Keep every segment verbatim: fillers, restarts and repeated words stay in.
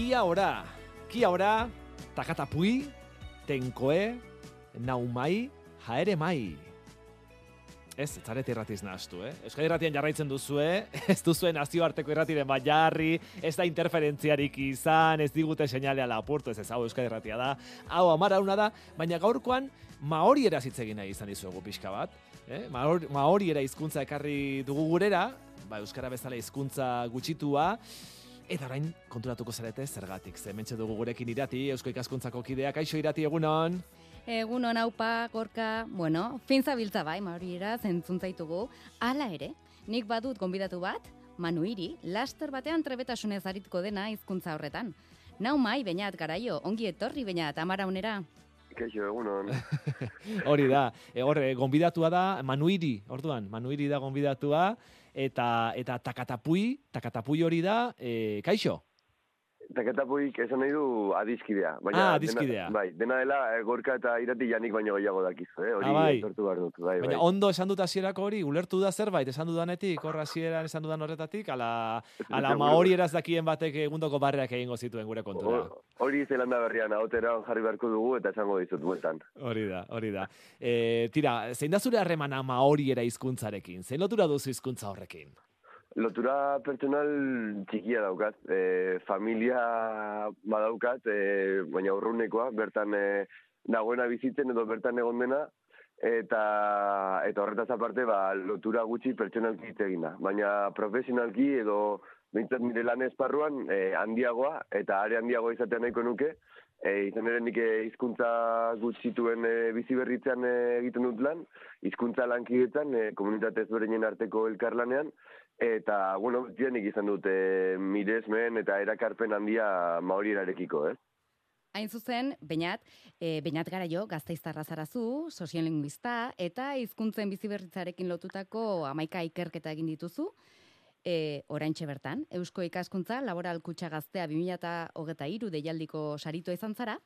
Kia ora, kia ora, takatapui, tenkoe, naumai, jaere mai. Ez, ez zarete irratiz nahaztu, eh? Euskal Irratian jarraitzen duzue, ez duzuen nazioarteko irratiren bat jarri, ez da interferentziarik izan, ez digute seinalea lapurtu, ez ez hau Euskal Irratia da, hau amarauna da, baina gaurkoan maoriera hitz egin nahi izan dizuegu pixka bat, eh? Maoriera hizkuntza ekarri dugu gurera, ba, euskara bezala hizkuntza gutxitua, eta orain konturatuko zarete zergatik, ze hementxe dugu gurekin Irati, Eusko Ikaskuntzako kideak, kaixo Irati, egunon? Egunon aupa, gorka, bueno, fin zabiltza bai, maoriera, zentzuntzzaitugu. Hala ere, nik badut gonbidatu bat, Manu Iri, laster batean trebetasunez arituko dena hizkuntza horretan. Nau mai, Beñat, garaio, ongi etorri, Beñat, amaraunera. Kaixo, egunon. Hori da, e, horre, gonbidatua da, Manu Iri, orduan, Manu Iri da gonbidatua, eta, eta takatapui, takatapui hori da, e, kaixo? Takatapuik esan nahi du adiskidea. Baina ah, adiskidea. Dena, bai, dena dela e, gorka eta Irati janik baino gehiago dakizu, eh? Hori ah, bai. etortu behar dut. Bai, baina bai. ondo esan dut hasierako hori, ulertu da zerbait, esan dudanetik, horra hasieran esan dudan horretatik, ala, ala maori eraz dakien batek egundoko barreak egingo zituen gure kontura. Hori Zelanda berrian, ahotera jarri beharko dugu eta esango dizut bueltan. Hori da, hori da. E, tira, zein da zure harremana maoriera hizkuntzarekin? Zein lotura duzu hizkuntza horrekin? Lotura pertsonal txikia daukat, e, familia badaukat, e, baina urrunekoa, bertan e, dagoena bizitzen edo bertan egon dena, eta eta horretaz aparte ba, lotura gutxi pertsonalki hitz egin da. Baina profesionalki edo behintzat nire lan esparruan e, handiagoa, eta are handiagoa izatea nahiko nuke, e, izan ere nik hizkuntza gutxituen e, bizi berritzean e, egiten dut lan, hizkuntza lankidetzan, e, komunitate ezberdinen arteko elkarlanean, eta, bueno, nik izan dut e, miresmen eta erakarpen handia maorierarekiko, eh? Hain zuzen, Beñat, e, Beñat garaio, Gasteiztarra zarazu, soziolinguista, eta hizkuntzen biziberritzarekin lotutako hamaika ikerketa egin dituzu, e, oraintxe bertan, Eusko Ikaskuntza Laboral Kutxa Gaztea bi mila hogeita hiru deialdiko sarito izan zara,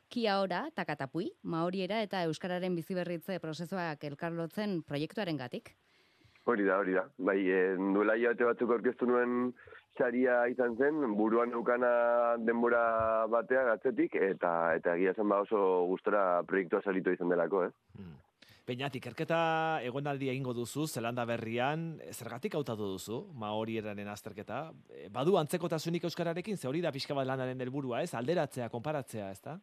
Kia ora, takatapui, maoriera eta euskararen biziberritze prozesuak elkarlotzen proiektuaren gatik. Hori da, hori da. Bai, e, duela hilabete batzuk aurkeztu nuen saria izan zen, buruan eukana denbora batea gatzetik, eta eta egia zen ba oso gustora proiektua saritu izan delako, eh? Hmm. Beñat, ikerketa egonaldi egingo duzu, Zelanda berrian, zergatik hautatu duzu, maorieraren azterketa? Badu antzekotasunik euskararekin, ze hori da pixka bat lanaren helburua, ez? Alderatzea, konparatzea, ez da?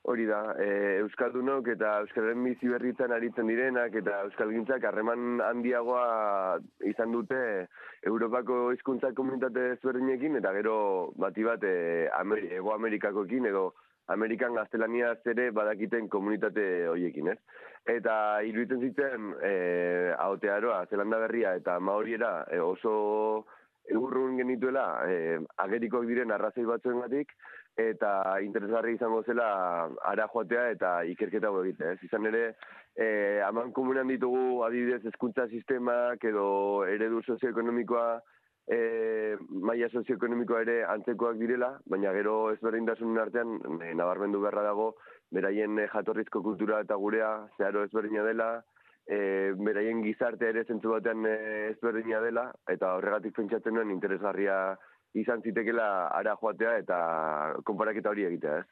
Hori da, e, euskaldunok eta euskararen bizi berritzen aritzen direnak eta euskalgintzak harreman handiagoa izan dute Europako hizkuntza komunitate ezberdinekin eta gero bati bat e, Amer Ego Amerikakoekin edo Amerikan gaztelaniaz ere badakiten komunitate horiekin, ez? Eta iruditzen zitzen e, ahotearoa, Zelanda berria eta maoriera e, oso urrun genituela e, agerikoak diren arrazoi batzuengatik, eta interesgarri izango zela ara joatea eta ikerketa hau egitea. Ez izan ere, e, aman komunean ditugu adibidez hezkuntza sistemak edo eredu sozioekonomikoa, e, maila sozioekonomikoa ere antzekoak direla, baina gero ezberdintasunen artean e, nabarmendu beharra dago, beraien e, jatorrizko kultura eta gurea zeharo ezberdina dela, e, beraien gizartea ere zentzu batean e, ezberdina dela, eta horregatik pentsatzen nuen interesgarria izan zitekela ara joatea eta konparaketa hori egitea, ez?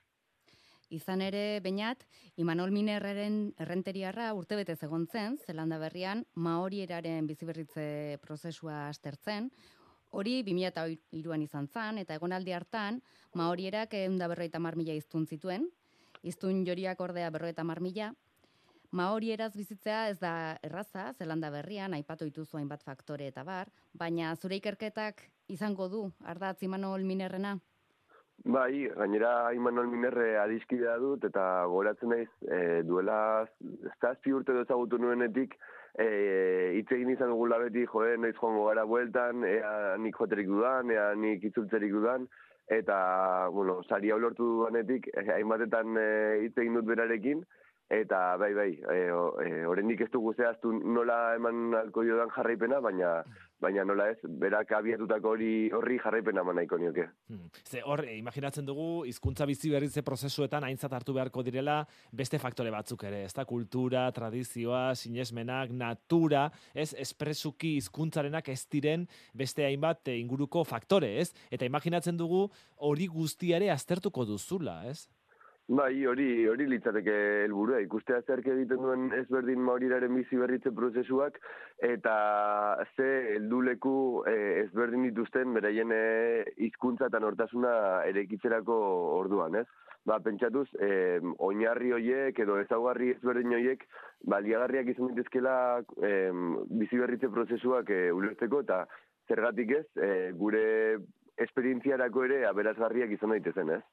Izan ere, Beñat, Imanol Minerreren errenteriarra urtebetez egon zen, Zelanda berrian, maorieraren biziberritze prozesua aztertzen, hori bi mila hiruan izan zen, eta egonaldi hartan, maorierak ehun eta berrogeita hamar mila hiztun zituen, hiztun joriak ordea berrogeita hamar mila, maorieraz bizitzea ez da erraza, Zelanda berrian, aipatu dituzu hainbat faktore eta bar, baina zure ikerketak izango du, ardatz Imanol Minerrena? Bai, gainera Imanol Minerre adiskidea dut, eta goratzen naiz e, duela zazpi urte ezagutu nuenetik, e, hitz egin izan dugula beti, joe, noiz joango gara bueltan, ea nik joterik dudan, ea nik itzultzerik dudan, eta, bueno, saria ulortu duanetik, e, hainbatetan hitz egin dut berarekin, eta bai, bai, e, e, oraindik ez dugu zehaztu nola eman alko jodan jarraipena, baina baina nola ez, berak abiatutako hori horri jarraipena eman nahiko nioke. Hmm. Ze hor, e, imaginatzen dugu, hizkuntza bizi berritze prozesuetan aintzat hartu beharko direla beste faktore batzuk ere, ez da, kultura, tradizioa, sinesmenak, natura, ez, espresuki hizkuntzarenak ez diren beste hainbat e, inguruko faktore, ez? Eta imaginatzen dugu hori guztiare aztertuko duzula, ez? Bai, hori hori litzateke helburua, ikustea zerk egiten duen ezberdin Maoriraren bizi berritze prozesuak eta ze helduleku eh, ezberdin dituzten beraien hizkuntza eta nortasuna eraikitzerako orduan, ez? Ba, pentsatuz, eh, oinarri hoiek edo ezaugarri ezberdin hoiek baliagarriak izan daitezkeela eh, bizi berritze prozesuak eh, ulertzeko eta zergatik ez, eh, gure esperientziarako ere aberasgarriak izan daitezen, ez?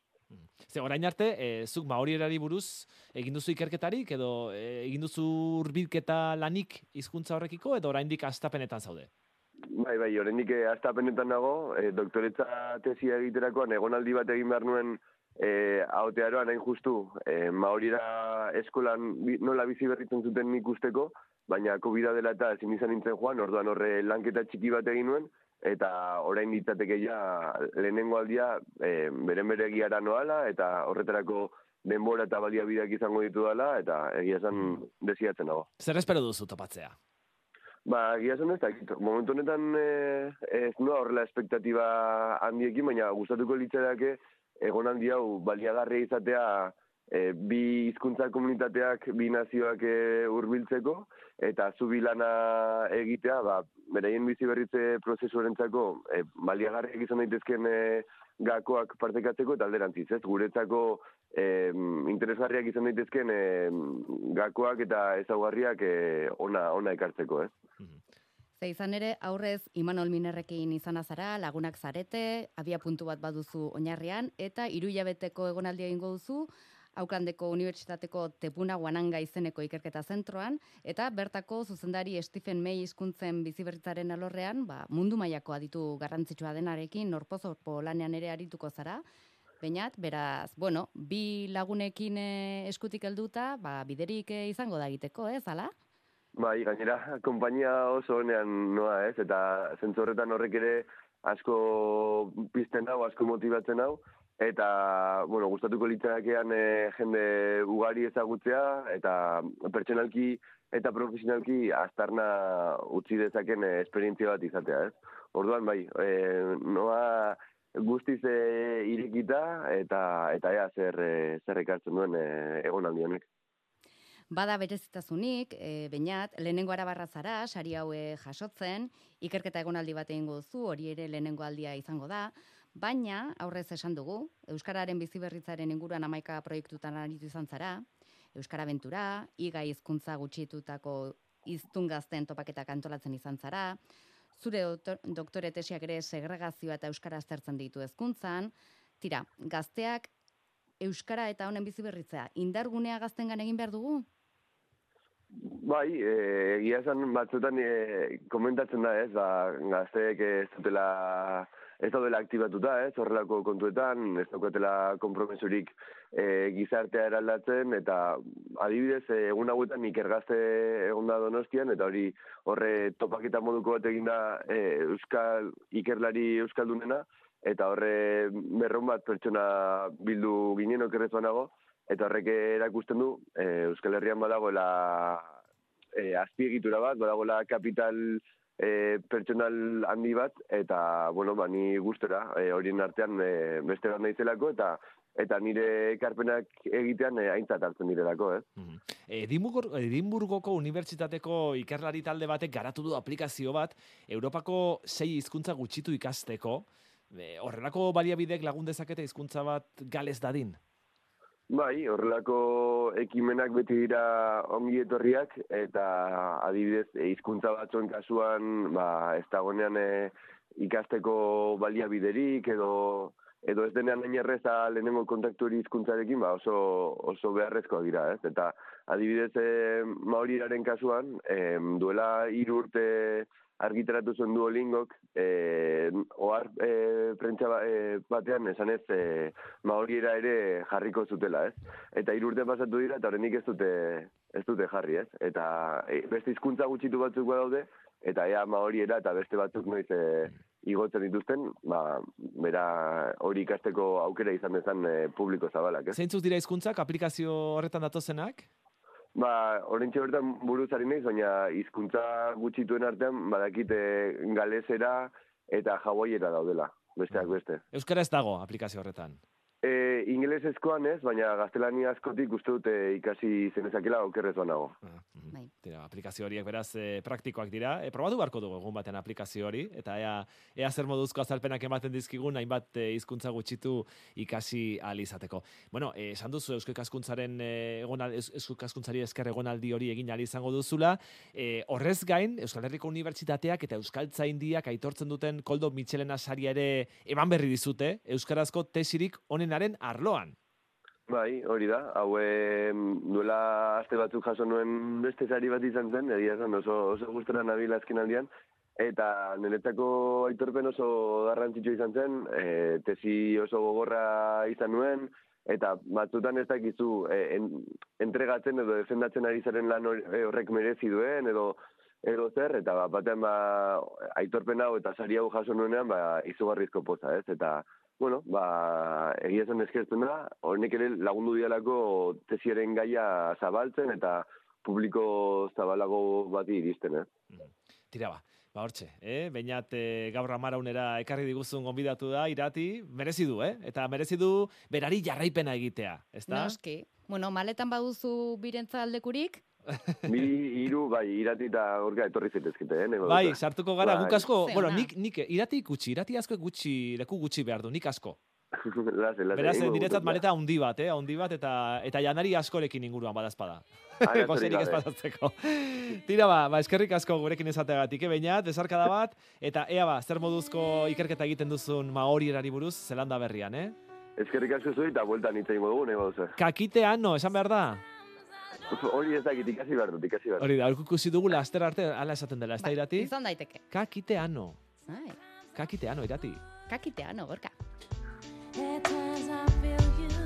Ze orain arte, e, zuk Maorirari buruz egin duzu ikerketarik edo e, egin duzu hurbilketa lanik hizkuntza horrekiko edo oraindik hastapenetan zaude? Bai, bai, oraindik hastapenetan nago, e, doktoretza tesia egiterakoan egonaldi bat egin behar nuen e, ahotearoan hain justu, e, Maorira eskolan nola bizi berritzen zuten ikusteko, baina COVID dela eta ezin izan nintzen joan, orduan horre lanketa txiki bat egin nuen, eta orain ditzateke ja lehenengo aldia e, beren bere egiara noala, eta horretarako denbora eta baliabideak izango ditu dela, eta egia esan desiatzen dago. Zer espero duzu topatzea? Ba, egia esan ez dakit. Momentu honetan e, ez noa horrela espektatiba handiekin, baina gustatuko litzaidake egonaldi hau baliagarria izatea e, bi hizkuntza komunitateak, bi nazioak e, hurbiltzeko, eta zubi lana egitea, ba, beraien bizi berritze prozesuarentzako e, baliagarriak izan daitezken e, gakoak partekatzeko eta alderantziz, ez? Guretzako e, interesgarriak izan daitezken e, gakoak eta ezaugarriak e, ona, ona ekartzeko, ez? Ze izan ere, aurrez Imanol Minerrekin izan azara, lagunak zarete, abia puntu bat baduzu oinarrian, eta hiru hilabeteko egonaldia egingo duzu, Auklandeko Unibertsitateko Tepuna Guananga izeneko ikerketa zentroan, eta bertako zuzendari Stephen May hizkuntzen biziberritzaren alorrean, ba, mundu mailako aditu garrantzitsua denarekin norpozorpo lanean ere arituko zara. Beinat, beraz, bueno, bi lagunekin eskutik helduta, ba, biderik izango da egiteko, ez, ala? Bai, gainera, konpainia oso honean noa, ez, eta zentzu horretan horrek ere asko pizten hau, asko motibatzen hau, eta, bueno, gustatuko litzadakean e, jende ugari ezagutzea, eta pertsonalki eta profesionalki aztarna utzi dezaken e, esperientzia bat izatea, ez? Orduan, bai, e, noa guztiz e, irekita, eta eta ea zer, e, zer ekartzen duen e, egonaldi honek. Bada berezitasunik, e, Beinat, lehenengo arabarra zara, sari haue jasotzen, ikerketa egonaldi bat egingo duzu, hori ere lehenengo aldia izango da, baina, aurrez esan dugu, Euskararen biziberritzaren inguruan hamaika proiektutan aritu izan zara, Euskara Abentura, iga hizkuntza gutxitutako hiztun gazten topaketak antolatzen izan zara, zure doktor, doktore tesiak ere segregazioa eta Euskara aztertzen ditu hezkuntzan, tira, gazteak Euskara eta honen biziberritzea, indargunea gaztengan egin behar dugu? Bai, egia esan batzutan e, komentatzen da, ez, ba, gazteek ez dutela, ez daudela aktibatuta, ez, horrelako kontuetan, ez daukatela konpromesurik e, gizartea eraldatzen, eta adibidez, e, egun hauetan ikergazte egon da Donostian, eta hori horre topaketa moduko bat egin da e, Euskal, ikerlari Euskaldunena, eta horre berron bat pertsona bildu ginen okerrezuanago, eta horrek erakusten du, e, Euskal Herrian badagoela e, azpiegitura bat, badagoela kapital e, pertsonal handi bat, eta, bueno, ba, ni gustora, e, horien artean e, beste bat naizelako, eta eta nire ekarpenak egitean e, aintzat hartzen direlako, eh? Mm-hmm. Edimburgo, Edimburgoko Unibertsitateko ikerlari talde batek garatu du aplikazio bat, Europako sei hizkuntza gutxitu ikasteko, e, horrelako baliabidek lagun dezakete hizkuntza bat galez dadin? Bai, horrelako ekimenak beti dira ongi etorriak, eta adibidez, hizkuntza batzuen kasuan, ba, ez dagoenean e, ikasteko baliabiderik, edo edo ez denean hain erreza lehenengo kontaktu hori hizkuntzarekin, ba, oso, oso beharrezkoak dira, ez? Eta adibidez, e, Maoriraren kasuan, e, duela hiru urte argitaratu zuen Duolingok, e, ohar e, prentsa ba, e, batean esanez e, maoriera ere jarriko zutela, ez? Eta hiru urte pasatu dira eta oraindik ez dute ez dute jarri, ez? Eta e, beste hizkuntza gutxitu batzuk badaude, eta ea maoriera eta beste batzuk noiz e, igotzen dituzten, ba, bera hori ikasteko aukera izan dezan e, publiko zabalak, ez? Zeintzuk dira hizkuntzak aplikazio horretan datozenak? Ba, orentxe bertan buruzari naiz, baina hizkuntza gutxituen artean badakite galesera eta hawaiera daudela, besteak beste. Euskara ez dago aplikazio horretan. E, ingelesezkoan ez, baina gaztelania askotik uste dute ikasi zenezakela okerrez banago. Ah, mm. Bai. Tira, aplikazio horiek beraz e, praktikoak dira. E, probatu beharko dugu egun batean aplikazio hori, eta ea, ea zer moduzko azalpenak ematen dizkigun, hainbat e, hizkuntza gutxitu ikasi ahal izateko. Bueno, e, esan duzu Eusko Ikaskuntzaren e, egonal, Eusko Ikaskuntzari esker egonaldi hori egin ahal izango duzula. E, horrez gain, Euskal Herriko Unibertsitateak eta Euskaltzaindiak aitortzen duten Koldo Mitxelena saria ere eman berri dizute, euskarazko tesirik onenaren arloan. Bai, hori da. Hau e, duela aste batzuk jaso nuen beste sari bat izan zen, egia esan oso, oso gustora nabil azken aldian, eta niretzako aitorpen oso garrantzitsua izan zen, e, tesi oso gogorra izan nuen, eta batzutan ez dakizu e, en, entregatzen edo defendatzen ari zaren lan horrek merezi duen, edo edo zer, eta ba, batean ba, aitorpen hau eta sari hau jaso nuenean ba, izugarrizko poza, ez? Eta bueno, ba, egia zen eskertzen da, honek ere lagundu dialako tesiaren gaia zabaltzen eta publiko zabalago bati iristen, eh? Tira ba, ba hortxe, eh? Beñat eh, gaur amaraunera ekarri diguzun gonbidatu da, Irati, merezi du, eh? Eta merezi du berari jarraipena egitea, ezta? Noski. Bueno, maletan baduzu birentza aldekurik, Bi hiru bai, Irati eta Gorka etorri zaitezkete, eh? Nego Bai, dute. sartuko gara, Bai. guk asko, Ze bueno, ona. nik, nik Irati gutxi, Irati asko gutxi, leku gutxi behar du, nik asko. Lase, lase, Beraz, egingo niretzat dut, maleta handi bat, eh? Handi bat, eta eta janari askorekin inguruan badazpada. Arazorik Gozerik ez gabe. badatzeko. Tira ba, ba, eskerrik asko gurekin esateagatik, eh, Beñat, besarkada bat, eta ea ba, zer moduzko ikerketa egiten duzun maorierari buruz, Zelanda berrian, eh? Eskerrik asko zuen eta bueltan hitz egingo dugu, nego duzu. Kakitean, no, esan behar da? Hori ez dakit, ikasi behar dut, ikasi behar dut. Hori da, aurko ikusi dugu laster arte, ala esaten dela, ez da bai, Irati? izan daiteke. Kakiteano, Ai, kakiteano, Irati. kakiteano, Gorka. At times I feel you